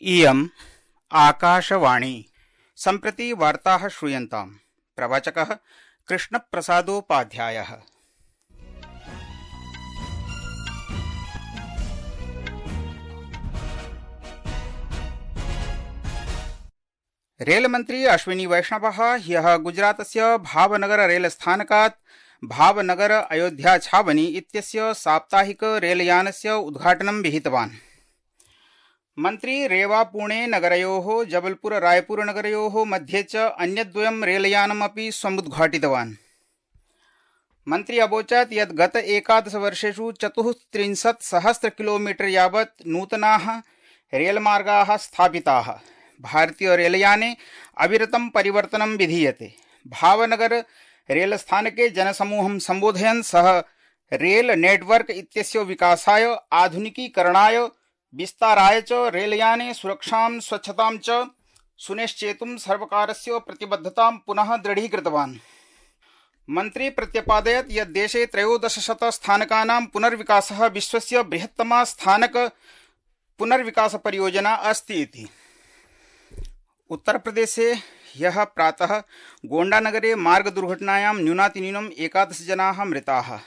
इयम् आकाशवाणी। सम्प्रति वार्ताः श्रूयन्ताम्। प्रवाचकः कृष्णप्रसादोपाध्यायः। रेलमन्त्री अश्विनी वैष्णवः ह्यः गुजरातस्य भावनगर रेलस्थानकात् भावनगर अयोध्या छावनी इत्यस्य साप्ताहिक रेलयानस्य उद्घाटनं विहितवान्। मन्त्री रेवा पुणे नगरयोः जबलपुर रायपुर नगरयोः मध्ये च अन्यद्वयं रेलयानमपि समुद्घाटितवान्। मन्त्री अवोचत् यत् गत 11 वर्षेषु 34,000 किलोमीटर यावत् नूतनाः रेलमार्गाः स्थापिताः। भारतीय रेलयाने अविरतं परिवर्तनं विधीयते। भावनगर रेलस्थानके जनसमूहं सम्बोधयन् सः रेल नेटवर्क इत्यस्य विकासाय, आधुनिकीकरणाय, विस्ताराय च रेलयाने सुरक्षां स्वच्छतां च सुनिश्चेतुं सर्वकारस्य प्रतिबद्धतां पुनः दृढीकृतवान्। मन्त्री प्रत्यपादयत् यत् देशे 1300 स्थानकानां पुनर्विकासः विश्वस्य बृहत्तमा स्थानक पुनर्विकास परियोजना अस्ति इति। उत्तरप्रदेशे ह्यः प्रातः गोण्डानगरे मार्गदुर्घटनायां न्यूनातिन्यूनं 11 जनाः मृताः,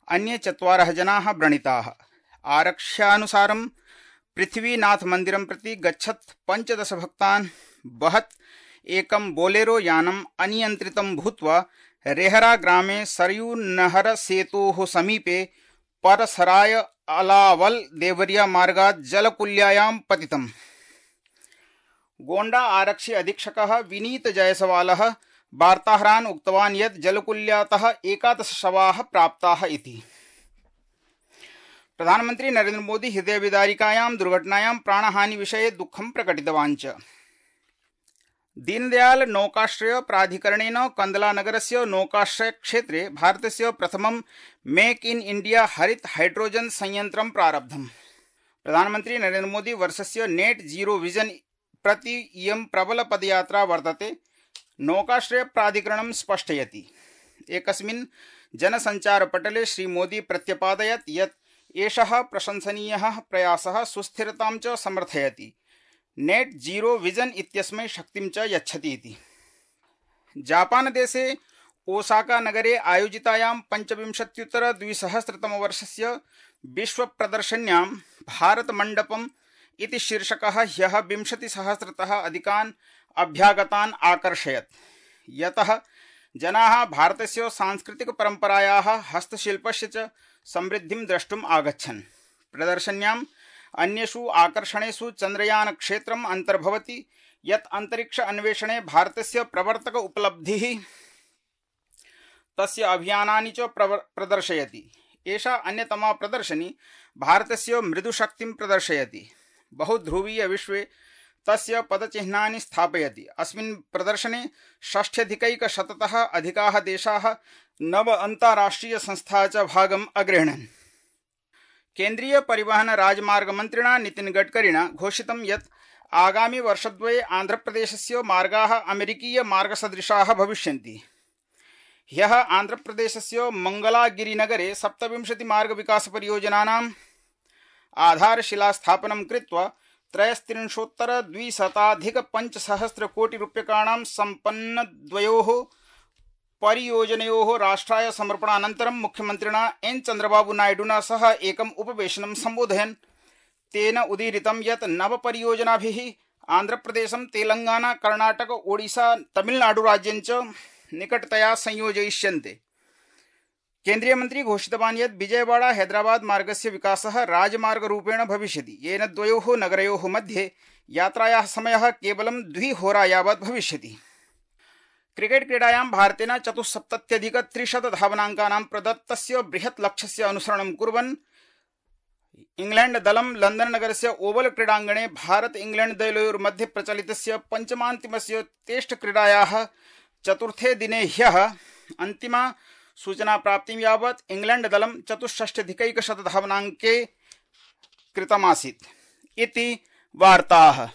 अन्ये 4 जनाः व्रणिताः। आरक्ष्यानुसारं पृथ्वीनाथ मन्दिरं प्रति गच्छत् 15 भक्तान् वहत् एकं बोलेरो यानम् अनियन्त्रितं भूत्वा रेहरा ग्रामे सरयू नहर सेतोः समीपे परसराय अलावल देवरिया मार्गात् जलकुल्यायां पतितम्। गोण्डा आरक्षि अधीक्षकः विनीत जयसवालः वार्ताहरान् उक्तवान् यत् जलकुल्यातः 11 शवाः प्राप्ताः इति। प्रधानमन्त्री नरेन्द्र मोदी हृदयविदारिकायां दुर्घटनायां प्राणहानि विषये दुःखं प्रकटितवान् च। दीनदयाल नौकाश्रय प्राधिकरणेन कंदला नगरस्य नौकाश्रय क्षेत्रे भारतस्य प्रथमं मेक इन इंडिया हरित हाइड्रोजन संयन्त्रं प्रारब्धम्। प्रधानमन्त्री नरेन्द्र मोदी वर्षस्य नेट जीरो विजन प्रति इयं प्रबल पदयात्रा वर्तते। नौकाश्रय प्राधिकरणं स्पष्टयति। एकस्मिन् जनसञ्चारपटले श्रीमोदी प्रत्यपादयत् यत् एषः प्रशंसनीयः प्रयासः सुस्थिरतां च समर्थयति, नेट जीरो विजन इत्यस्मै शक्तिं च यच्छति इति। जापानदेशे ओसाका नगरे आयोजितायां 25-2000 विश्वप्रदर्शन्यां भारतमण्डपम् इति शीर्षकः ह्यः 20,000तः अधिकान् अभ्यागतान् आकर्षयत्, यतः जनाः भारतस्य सांस्कृतिकपरम्परायाः, हस्तशिल्पस्य च समृद्धिं द्रष्टुम् आगच्छन्। प्रदर्शन्याम् अन्येषु आकर्षणेषु चन्द्रयान क्षेत्रम् अन्तर्भवति, यत् अन्तरिक्ष अन्वेषणे भारतस्य प्रवर्तक उपलब्धिः तस्य अभियानानि च प्रदर्शयति। एषा अन्यतमा प्रदर्शनी भारतस्य मृदुशक्तिं प्रदर्शयति, बहुध्रुवीय विश्वे तस्य पदचिह्नानि स्थापयति। अस्मिन् प्रदर्शने 60,100तः अधिकाः देशाः 9 अन्ताराष्ट्रिय संस्थाः च भागम् अगृह्णन्। केन्द्रीय परिवहन राजमार्ग मन्त्रिणा नितिन गडकरिणा घोषितं यत् आगामि वर्षद्वये आन्ध्रप्रदेशस्य मार्गाः अमेरिकीय मार्गसदृशाः भविष्यन्ति। ह्यः आन्ध्रप्रदेशस्य मंगलागिरिनगरे 27 मार्गविकासपरियोजनानाम् आधारशिलास्थापनं कृत्वा 33,200,500 कोटिरूप्यकाणां सम्पन्नद्वयोः परियोजनयोः राष्ट्राय समर्पणानन्तरं मुख्यमन्त्रिणा एन चन्द्रबाबू नायडुना सह एकम् उपवेशनं सम्बोधयन् तेन उदीरितं यत् नवपरियोजनाभिः आन्ध्रप्रदेशं तेलंगाना, कर्णाटक, ओडिशा, तमिलनाडुराज्यं च निकटतया संयोजयिष्यन्ते। केन्द्रीय मन्त्री घोषितवान् यत् विजयवाड़ा हैदराबाद मार्गस्य विकासः राजमार्गरूपेण भविष्यति, येन द्वयोः नगरयोः मध्ये यात्रायाः समयः केवलं 2 होरा यावत् भविष्यति। क्रिकेट क्रीडायां भारतेन 74,300 धावनाङ्कानां प्रदत्तस्य बृहत् लक्ष्यस्य अनुसरणं कुर्वन् इंग्लैंड दलं लंदन नगरस्य ओवल क्रीडाङ्गणे भारत इंग्लैंड दलयोर्मध्ये प्रचलितस्य पञ्चमान्तिमस्य टेस्ट क्रीडायाः चतुर्थे दिने ह्यः अन्तिमा सूचना प्राप्तिं यावत् इंग्लैंड दलं 64,100 धावनाङ्के कृतमासीत् इति वार्ताः।